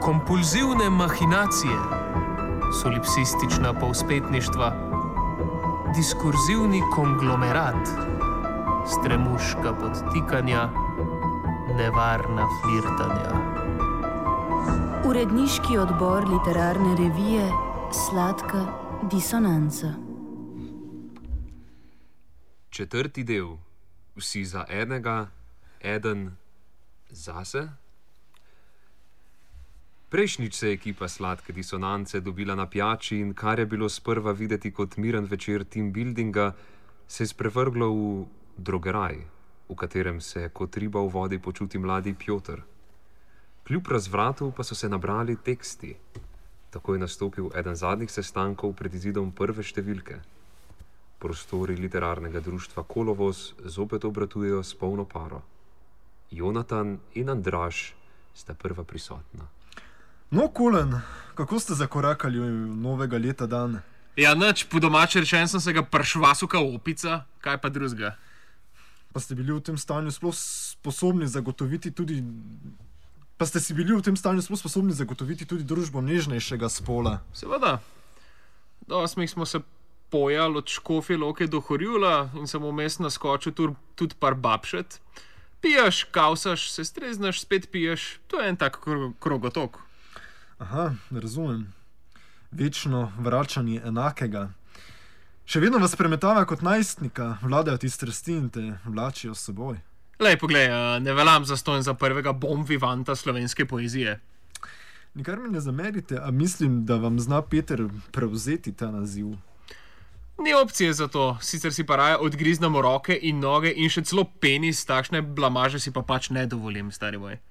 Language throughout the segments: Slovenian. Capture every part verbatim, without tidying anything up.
kompulzivne mahinacije, solipsistična povspetništva, diskurzivni konglomerat, stremuška podtikanja, nevarna flirtanja. Uredniški odbor literarne revije Sladka disonanca. Četrti del. Vsi za enega, eden zase. Prejšnjič se je ekipa Sladke disonance dobila na pijači in kar je bilo sprva videti kot miren večer team buildinga, se je sprevrglo v drogeraj, v katerem se kot riba v vodi počuti mladi Pjotr. Kljub razvratu pa so se nabrali teksti. Tako je nastopil eden zadnjih sestankov pred izidom prve številke. Prostori literarnega društva Kolovoz zopet obratujejo s polno paro. Jonatan in Andraž sta prva prisotna. No, Kulen, kako ste zakorakali v novega leta dan? Ja, nič, po domače rečen sem se ga pršvasuka opica, kaj pa drugega. Pa ste bili v tem stanju sploh sposobni zagotoviti tudi... Pa ste si bili v tem stanju sploh sposobni zagotoviti tudi družbo nežnejšega spola? Seveda. Do osmih smo se pojali od Škofje Loke do Horjula in sem vmes naskočil tudi par babšet. Piješ, kausaš, se streznaš, spet piješ. To je en tak krogotok. Aha, razumem. Večno vračanje enakega. Še vedno vas premetava kot najstnika, vladajo ti strasti in te vlačijo s seboj. Lej, poglej, ne veljam zastonj za prvega bon vivanta slovenske poezije. Nikar mi ne zamerite, a mislim, da vam zna Peter prevzeti ta naziv. Ni opcije za to, sicer si pa raje odgriznemo roke in noge in še celo penis, takšne blamaže si pa pač ne dovolim, stari moj.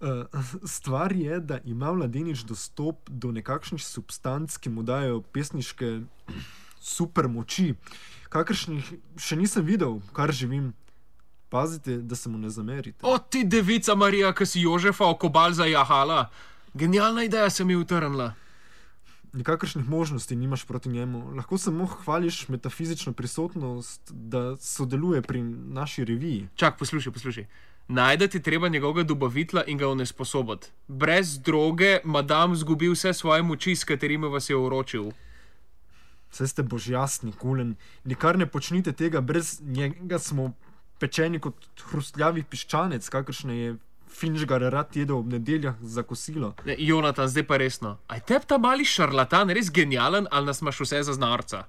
Uh, stvar je, da ima mladenič dostop do nekakšnih substanc, ki mu dajo pesniške super moči, kakršnih še nisem videl, kar živim. Pazite, da se mu ne zamerite. O, ti devica Marija, ki si Jožefa okobal zajahala. Genialna ideja se mi utrnila. Nikakršnih možnosti nimaš proti njemu. Lahko samo hvališ metafizično prisotnost, da sodeluje pri naši reviji. Čak, poslušaj, poslušaj. Najdeti treba njegovega dobavitla in ga onesposobiti. Brez droge madam zgubi vse svoje moči, s katerimi vas je uročil. Vse ste božjasni, Kulen. Nikar ne počnite tega, brez njega smo pečeni kot hrustljavi piščanec, kakršne je Finžgar rad jedel ob nedeljah za kosilo. Ne, Jonatan, zdaj pa resno. Aj teb ta mali šarlatan res genijalen, ali nas imaš vse za znarca?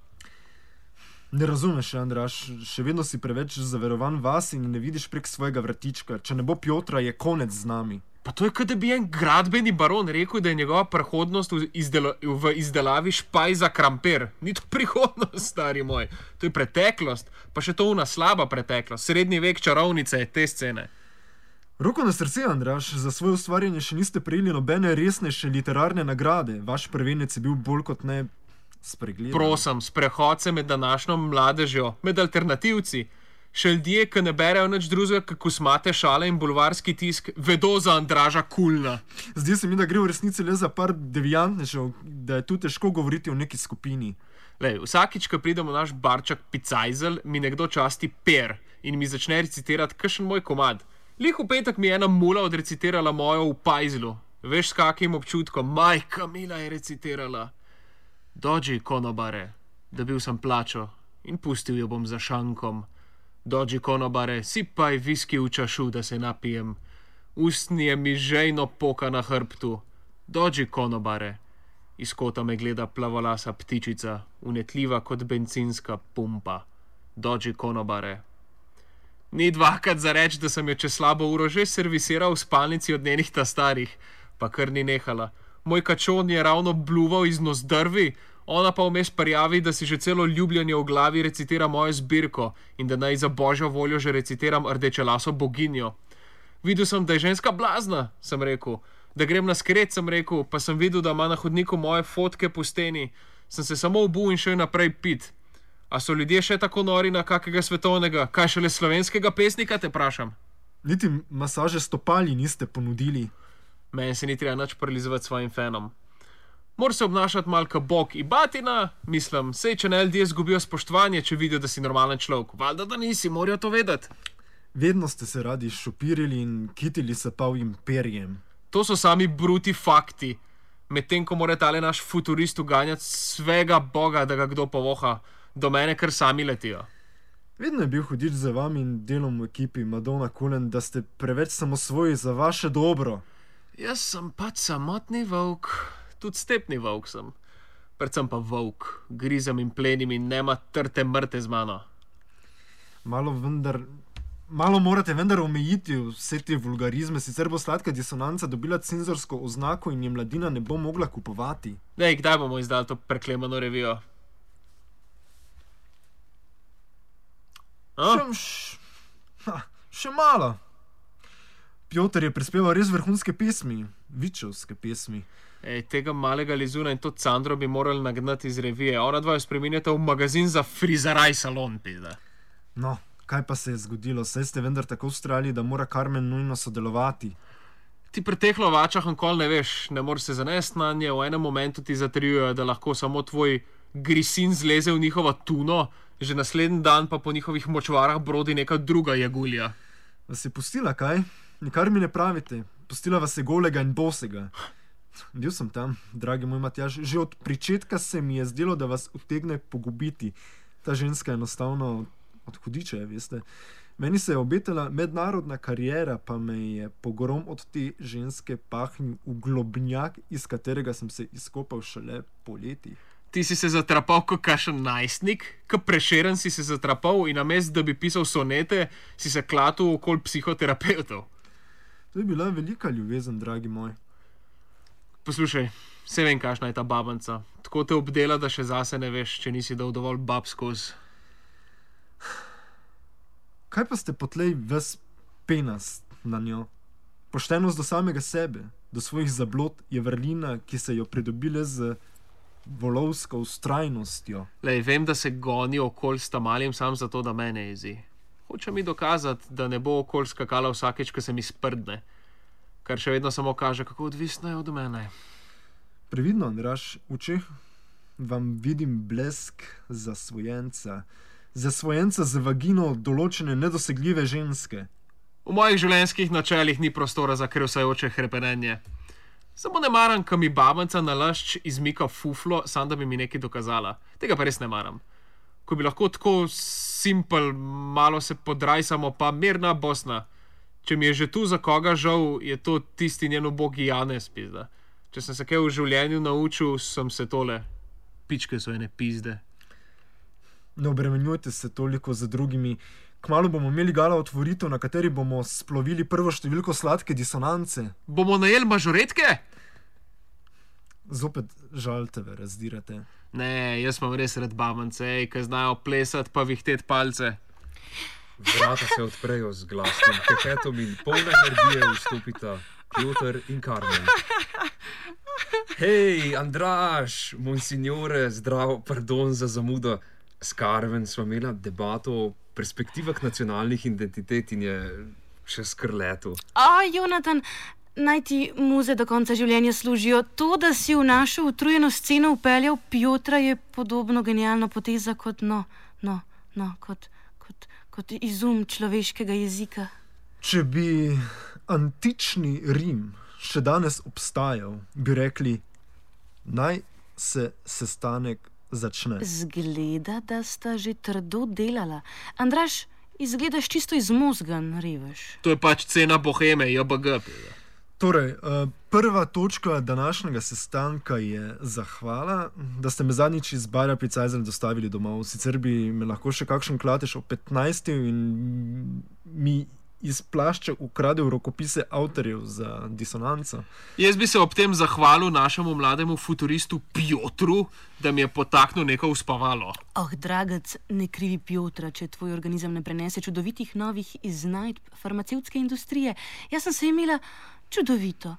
Ne razumeš, Andraž, še vedno si preveč zaverovan vas in ne vidiš prek svojega vratička. Če ne bo Pjotra, je konec z nami. Pa to je, kot da bi en gradbeni baron rekel, da je njegova prihodnost v, izdelo, v izdelavi špaj za kramper. Ni to prihodnost, stari moj. To je preteklost, pa še to una slaba preteklost. Srednji vek čarovnice je te scene. Roko na srce, Andraž, za svoje ustvarjanje še niste prejeli nobene resnejše literarne nagrade. Vaš prvenec je bil bolj kot ne spregledan. Prosim, sprehod se med današnjo mladežjo, med alternativci. Še ljudje, ki ne berejo nič drugega, kako smate šale in bulvarski tisk, vedo za Andraža Kulna. Zdi se mi, da gre v resnici le za par deviantnežev, da je tu težko govoriti o neki skupini. Lej, vsakič, ko pridemo v naš barčak Picajzel, mi nekdo časti per in mi začne recitirati kakšen moj komad. Lih v petek mi je ena mula odrecitirala mojo v Pajzlu. Veš, s kakim občutkom? Majka mila je recitirala. Dođi, konobare, dobil sem plačo in pustil jo bom za šankom. Dođi, konobare, sipaj viski v čašu, da se napijem. Ustnje mi žejno poka na hrbtu. Dođi, konobare. Iz kota me gleda plavolasa ptičica, unetljiva kot bencinska pumpa. Dođi, konobare. Ni dvakrat za reč, da sem jo čez slabo uro že servisiral v spalnici od njenih ta starih, pa kar ni nehala. Moj kačon je ravno bluval iz nozdrvi, ona pa vmes prijavi, da si že celo ljubljanje v glavi recitira mojo zbirko in da naj za božjo voljo že recitiram rdečelaso boginjo. Videl sem, da je ženska blazna, sem rekel. Da grem na skret, sem rekel, pa sem videl, da ima na hodniku moje fotke po steni. Sem se samo obul in šel naprej pit. A so ljudje še tako nori na kakega svetovnega, kaj šele slovenskega pesnika, te prašam? Niti masaže stopali niste ponudili. Meni se ni treba nič prilizovati svojim fenom. Mora se obnašati malka bog i batina, mislim, sej, če ne ljudje zgubijo spoštovanje, če vidijo, da si normalen človek. Valjda, da nisi, morajo to vedeti. Vedno ste se radi šopirili in kitili se pavjim perjem. To so sami bruti fakti. Medtem ko mora tale naš futurist uganjati svega boga, da ga kdo povoha, do mene kar sami letijo. Vedno je bil hudič za vami in delom v ekipi Madonna Cullen, da ste preveč samosvoji za vaše dobro. Jaz sem pač samotni volk, tudi stepni volk sem. Predvsem pa volk, grizem in plenim in nema trte mrte z mano. Malo vendar, malo morate vendar omejiti vse te vulgarizme, sicer bo Sladka disonanca dobila cenzorsko oznako in je mladina ne bo mogla kupovati. Dej, kdaj bomo izdali to preklemano revijo? Še, š, ha, še malo. Pjotr je prispeval res vrhunske pesmi, vičevske pesmi. Ej, tega malega Lizuna in to Candro bi morali nagnati iz revije. Ona dva jo spreminjata v magazin za frizaraj salon, pizda. No, kaj pa se je zgodilo? Saj ste vendar tako ustrajali, da mora Carmen nujno sodelovati. Ti pri teh lovačah nikoli ne veš, ne moreš se zanesti na nje, v enem momentu ti zatrjujejo, da lahko samo tvoj grisin zleze v njihovo tuno, že naslednji dan pa po njihovih močvarah brodi neka druga jagulja. Vas je pustila, kaj? Nikar mi ne pravite. Pustila vas je golega in bosega. Bil sem tam, dragi moj Matjaž. Že od pričetka se mi je zdelo, da vas utegne pogubiti. Ta ženska je enostavno od hudiča, veste. Meni se je obetala mednarodna kariera, pa me je pogrom od te ženske pahnil v globnjak, iz katerega sem se izkopal šele poleti. Ti si se zatrapal kot kakšen najstnik, kot Prešeren si se zatrapal in namesto, da bi pisal sonete, si se klatil okoli psihoterapeutov. To je bila velika ljubezen, dragi moj. Poslušaj, vse vem, kakšna je ta babanca. Tako te obdela, da še zase ne veš, če nisi dal dovolj bab skozi. Kaj pa ste potlej ves penast na njo? Poštenost do samega sebe, do svojih zablod je vrlina, ki se jo pridobile z volovsko ustrajnostjo. Lej, vem, da se goni okoli s Tamalim sam zato, da mene jezi. Hoče mi dokazati, da ne bo okoli skakala vsakeč, ko se mi sprdne. Kar še vedno samo kaže, kako odvisna je od mene. Previdno, Andraž, v očeh vam vidim blesk zasvojenca. Zasvojenca z vagino določene nedosegljive ženske. V mojih življenjskih načelih ni prostora za krevsajoče hrepenenje. Samo ne maram, ko mi babanca nalašč izmika fuflo, sam da bi mi nekaj dokazala. Tega pa res ne maram. Ko bi lahko tako simpel, malo se podrajsamo, pa mirna Bosna. Če mi je že tu za koga žal, je to tisti njen ubogi Janez, pizda. Če sem se kaj v življenju naučil, sem se tole. Pičke so ene pizde. Ne obremenjujte se toliko za drugimi. Kmalu bomo imeli gala otvoritev, na kateri bomo splovili prvo številko Sladke disonance. Bomo najeli mažoretke? Zopet žal tebe razdirate. Ne, jaz imam res red babance, ki znajo plesati pa vihtet palce. Vrata se odprejo z glasnim kepetom in polna energije vstopita Pjotr in Carmen. Hej, Andraž, monsignore, zdravo, pardon za zamudo. S Carmen sva imela debato o perspektivah nacionalnih identitet in je še skrleto. O, Jonatan, naj ti muze do konca življenja služijo. To, da si v našo utrujeno sceno upeljal Pjotra, je podobno genialna poteza kot, no, no, no, kot, kot, kot izum človeškega jezika. Če bi antični Rim še danes obstajal, bi rekli, naj se sestanek začne. Zgleda, da sta že trdo delala. Andraž, izgledaš čisto izmozgan, revež. To je pač cena boheme, J B G. Torej, prva točka današnjega sestanka je zahvala, da ste me zadnjič iz Barja Picajzel dostavili domov. Sicer bi me lahko še kakšen klatež o petnajstih in mi iz plašča ukradel rokopise avtorjev za disonanco. Jaz bi se ob tem zahvalil našemu mlademu futuristu Pjotru, da mi je potaknil neko uspavalo. Oh, dragac, ne krivi Pjotra, če tvoj organizem ne prenese čudovitih novih iznajdb farmacevtske industrije. Jaz sem se imela čudovito.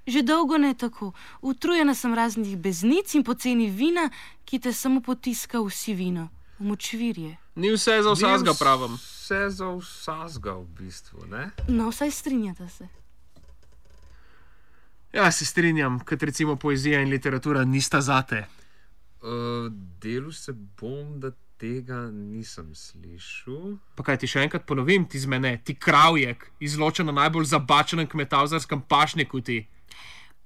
Že dolgo ne tako. Utrujena sem raznih beznic in poceni vina, ki te samo potiska v sivino, v močvirje. Ni vse za vsazga, pravim. Vse za vsazga v bistvu, ne? No, vsaj strinjata se. Ja, se strinjam, kot recimo poezija in literatura nista zate. Uh, delu se bom, da tega nisem slišal. Pa kaj ti še enkrat ponovim, ti z mene, ti kravjek, izločen na najbolj zabačenem kmetavzarskem pašniku ti.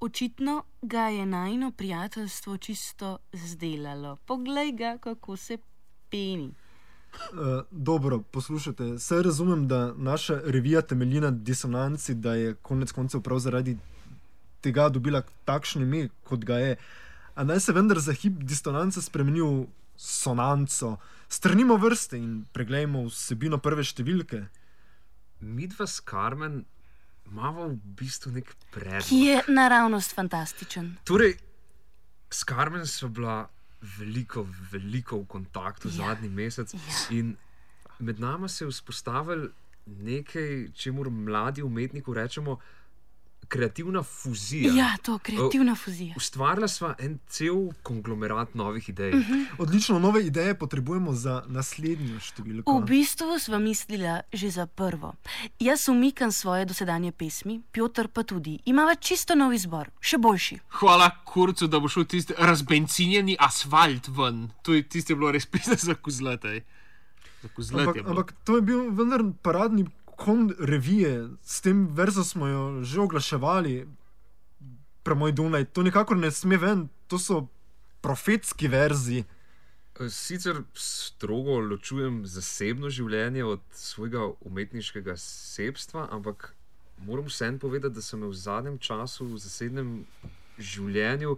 Očitno ga je najino prijateljstvo čisto zdelalo. Poglej ga, kako se peni. Uh, dobro, poslušajte, saj razumem, da naša revija temelji na disonanci, da je konec koncev prav zaradi tega dobila takšno ime, kot ga je. A naj se vendar za hip disonance spremeni v sonanco. Strnimo vrste in preglejmo vsebino prve številke. Midva s Carmen imava v bistvu nek predlog. Ki je naravnost fantastičen. Torej, s Carmen sva bila veliko, veliko v kontaktu Ja. zadnji mesec Ja. in med nama se je vzpostavil nekaj, čemur mladi umetniki rečemo kreativna fuzija. Ja, to kreativna fuzija. Ustvarila sva en cel konglomerat novih idej. Odlično, nove ideje potrebujemo za naslednjo številko. V bistvu sva mislila že za prvo. Jaz umikam svoje dosedanje pesmi, Piotr pa tudi. Imava čisto nov izbor, še boljši. Hvala kurcu, da bo šel tisti razbencinjeni asfalt ven. To je tisto je bilo res pisno za kozlete. Za kozlete Ampak, je bilo. ampak to je bil vendar paradni kon revije, s tem verzom smo jo že oglaševali, premoj Dunaj. To nikakor ne sme ven, to so profetski verzi. Sicer strogo ločujem zasebno življenje od svojega umetniškega sebstva, ampak moram vseeno povedati, da so me v zadnjem času v zasebnem življenju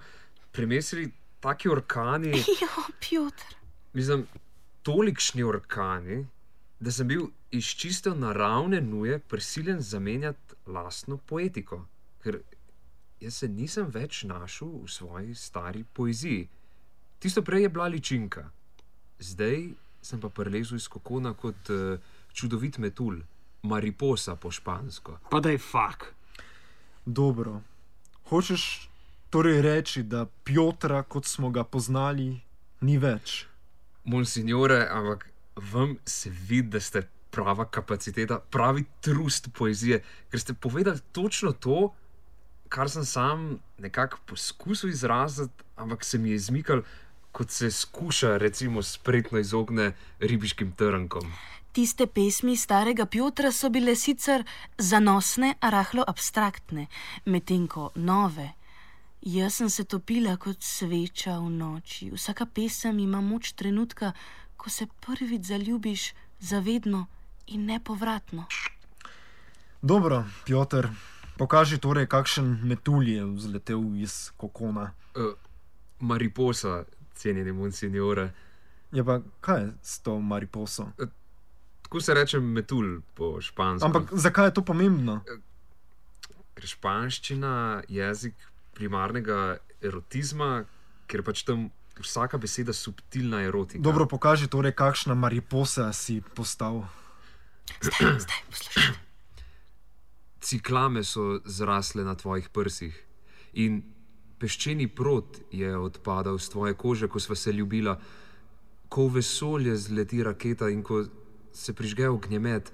premesili taki orkani, Jo, Piotr. mislim, tolikšni orkani, da sem bil iz čisto naravne nuje prisiljen zamenjati lastno poetiko, ker jaz se nisem več našel v svoji stari poeziji. Tisto prej je bila ličinka, zdaj sem pa prelezel iz kokona kot uh, čudovit metulj, mariposa po špansko. Pa da je fak. Dobro. Hočeš torej reči, da Piotra, kot smo ga poznali, ni več? Monsignore, ampak vam se vidi, da ste prava kapaciteta, pravi trust poezije, ker ste povedali točno to, kar sem sam nekako poskusil izraziti, ampak se mi je izmikal, kot se skuša, recimo, spretno izogne ribiškim trnkom. Tiste pesmi starega Piotra so bile sicer zanosne, a rahlo abstraktne, medtem ko nove. Jaz sem se topila kot sveča v noči. Vsaka pesem ima moč trenutka, ko se prvič zaljubiš zavedno in nepovratno. Dobro, Piotr, pokaži torej, kakšen metulj je vzletel iz kokona. Uh, mariposa, cenjeni monsignore. Je pa kaj je s to mariposo? Tako se reče metulj po špansko. Ampak zakaj je to pomembno? Ker španščina jezik primarnega erotizma, ker pač tam vsaka beseda subtilna erotika. Dobro, pokaži torej, kakšna mariposa si postal. Zdaj, zdaj, poslušajte. Ciklame so zrasle na tvojih prsih in peščeni prot je odpadal z tvoje kože, ko sva se ljubila, ko v vesolje zleti raketa in ko se prižge ognjemet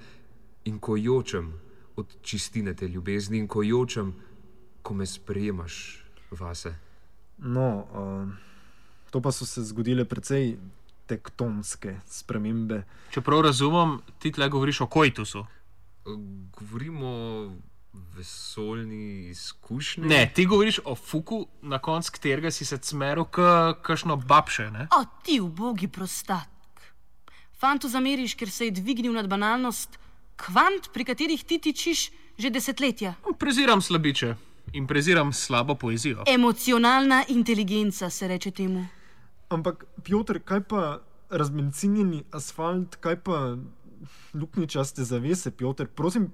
in ko jočem od čistine te ljubezni in ko jočem, ko me sprejemaš vase. No, uh, to pa so se zgodile precej tektonske spremembe. Čeprav razumem, ti tle govoriš o koitusu. Govorimo o vesoljni izkušnji. Ne, ti govoriš o fuku, na konc katerega si se cmeril k kakšno babše, ne? O, ti ubogi prostak. Fantu zameriš, ker se je dvignil nad banalnost kvant, pri katerih ti tičiš že desetletja. Preziram slabiče in preziram slabo poezijo. Emocionalna inteligenca se reče temu. Ampak, Piotr, kaj pa razbencinjeni asfalt, kaj pa luknjičaste zavese, Piotr? Prosim,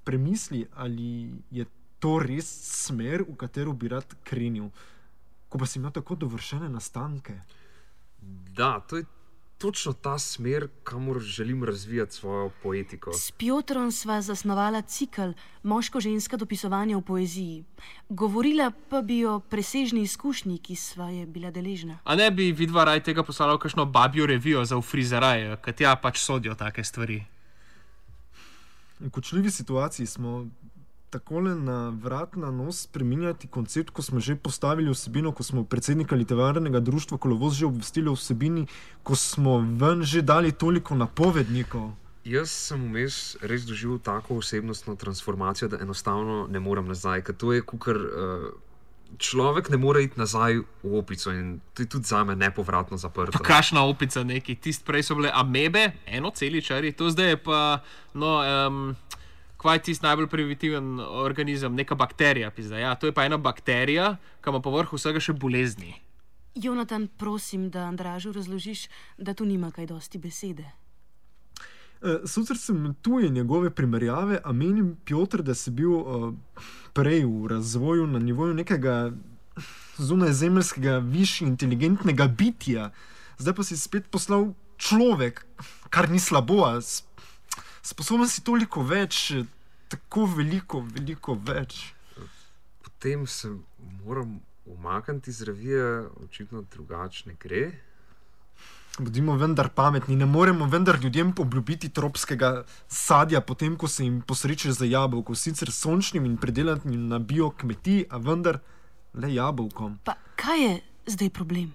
premisli, ali je to res smer, v katero bi rad krenil, ko pa si imel tako dovršene nastanke. Da, to je točno ta smer, kamor želim razvijati svojo poetiko. S Piotrom sva zasnovala cikl moško-ženska dopisovanja v poeziji. Govorila pa bi o presežni izkušnji, ki sva je bila deležna. A ne bi vidva raj tega poslala v kakšno babjo revijo za ufrizeraj, ker tja pač sodijo take stvari. V kočljivi situaciji smo takole na vrat na nos spreminjati koncept, ko smo že postavili vsebino, ko smo predsednika literarnega društva Kolovoz že obvestili o vsebini, ko smo ven že dali toliko napovednikov. Jaz sem vmes res doživel tako osebnostno transformacijo, da enostavno ne morem nazaj, ker to je kukar uh, človek ne more iti nazaj v opico in to je tudi za me nepovratno zaprto. Pa kašna opica neki, tist prej so bile amebe, enoceličari, to zdaj je pa, no, um, kvaj tist najbolj primitiven organizem, neka bakterija, pizda. Ja, to je pa ena bakterija, ki ima povrh vsega še bolezni. Jonatan, prosim, da Andražu razložiš, da tu nima kaj dosti besede. Uh, Sicer sem tuje njegove primerjave, a menim, Piotr, da si bil uh, prej v razvoju na nivoju nekega zunajzemeljskega, višje inteligentnega bitja. Zdaj pa si spet poslal človek, kar ni slabo, a sposoben si toliko več, tako veliko, veliko več. Potem se moram umakniti iz revije, očitno drugačne gre. Bodimo vendar pametni, ne moremo vendar ljudem obljubiti tropskega sadja, potem ko se jim posreče za jabolko, sicer sončnim in predelanim na bio kmetiji, a vendar le jabolkom. Pa kaj je zdaj problem?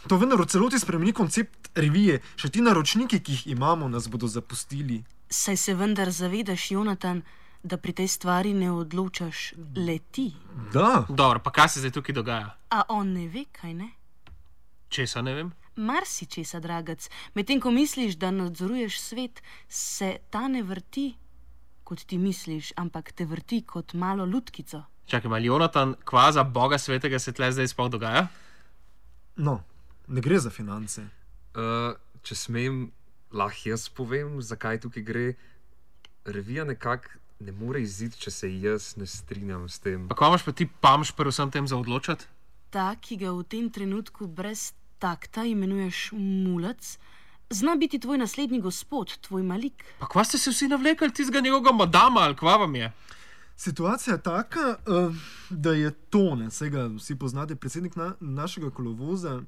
To vendar v celoti spremeni koncept revije, še ti naročniki, ki jih imamo, nas bodo zapustili. Saj se vendar zavedaš, Jonatan, da pri tej stvari ne odločaš le ti. Da. Dobro, pa kaj se zdaj tukaj dogaja? A on ne ve, kaj ne? Česa ne vem? Marsi česa, dragac. Medtem ko misliš, da nadzoruješ svet, se ta ne vrti, kot ti misliš, ampak te vrti kot malo lutkico. Čakaj, ali Jonatan, kvaza boga svetega se tle zdaj sploh dogaja? No, ne gre za finance. Uh, če smem, lahko jaz povem, zakaj tukaj gre. Revija nekako ne more iziti, če se jaz ne strinjam s tem. Pa kaj imaš pa ti pamš pri vsem tem za odločati? Ta, ki ga v tem trenutku brez takta imenuješ mulac, zna biti tvoj naslednji gospod, tvoj Malik. Pa kva ste se vsi navlekali tistega njegovega madama, ali kva vam je? Situacija je taka, uh, da je Tone, saj ga vsi poznate, predsednik na, našega kolovoza,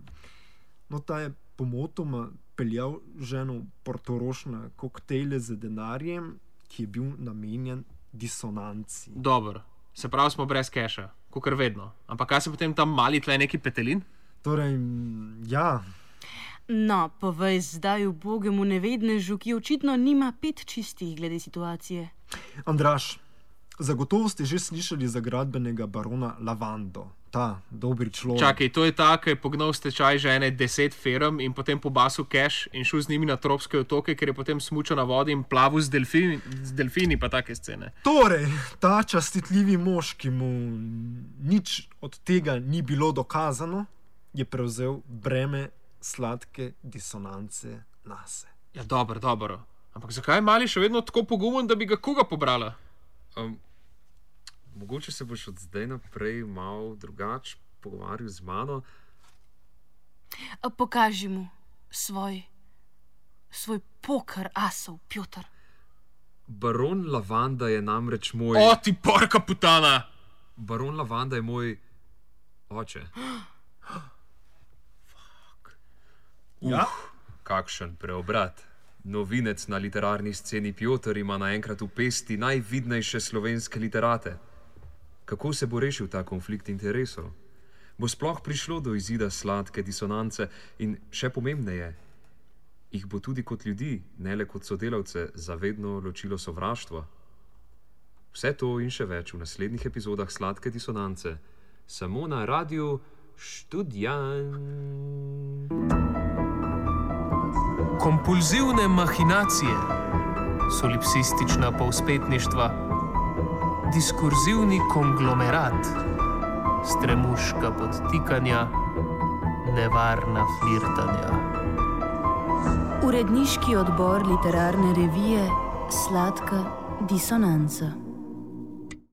no ta je pomotoma peljal ženo v Portorož na koktejle z denarjem, ki je bil namenjen disonanci. Dobro, se pravi smo brez keša, kakor vedno. Ampak kaj se potem tam mali tle neki petelin? Torej, ja. No, povej zdaj ubogemu nevednežu, ki očitno nima pet čistih glede situacije. Andraž, zagotovo ste že slišali za gradbenega barona Lavando. Ta dobri človek. Čakaj, to je ta, ki je pognal v stečaj že ene deset firm in potem pobasil keš in šel z njimi na tropske otoke, ker je potem smučal na vodi in plavil z delfini, z delfini pa take scene. Torej, ta častitljivi mož, ki mu nič od tega ni bilo dokazano, je prevzel breme sladke disonance nase. Ja, dobro, dobro. Ampak zakaj je mali še vedno tako pogumen, da bi ga koga pobrala? Um, mogoče se boš od zdaj naprej malo drugače pogovarjal z mano. A pokaži mu svoj, svoj poker asov, Piotr. Baron Lavanda je namreč moj... O, ti porka putana! Baron Lavanda je moj oče. Ja? Uh, kakšen preobrat. Novinec na literarni sceni Piotr ima naenkrat v pesti najvidnejše slovenske literate. Kako se bo rešil ta konflikt interesov? Bo sploh prišlo do izida sladke disonance in še pomembneje, jih bo tudi kot ljudi, ne le kot sodelavce, zavedno ločilo sovraštvo? Vse to in še več v naslednjih epizodah Sladke disonance, samo na radiu Študjan. Kompulzivne mahinacije, solipsistična povzpetništva, diskurzivni konglomerat, stremuška podtikanja, nevarna flirtanja. Uredniški odbor literarne revije Sladka disonanca.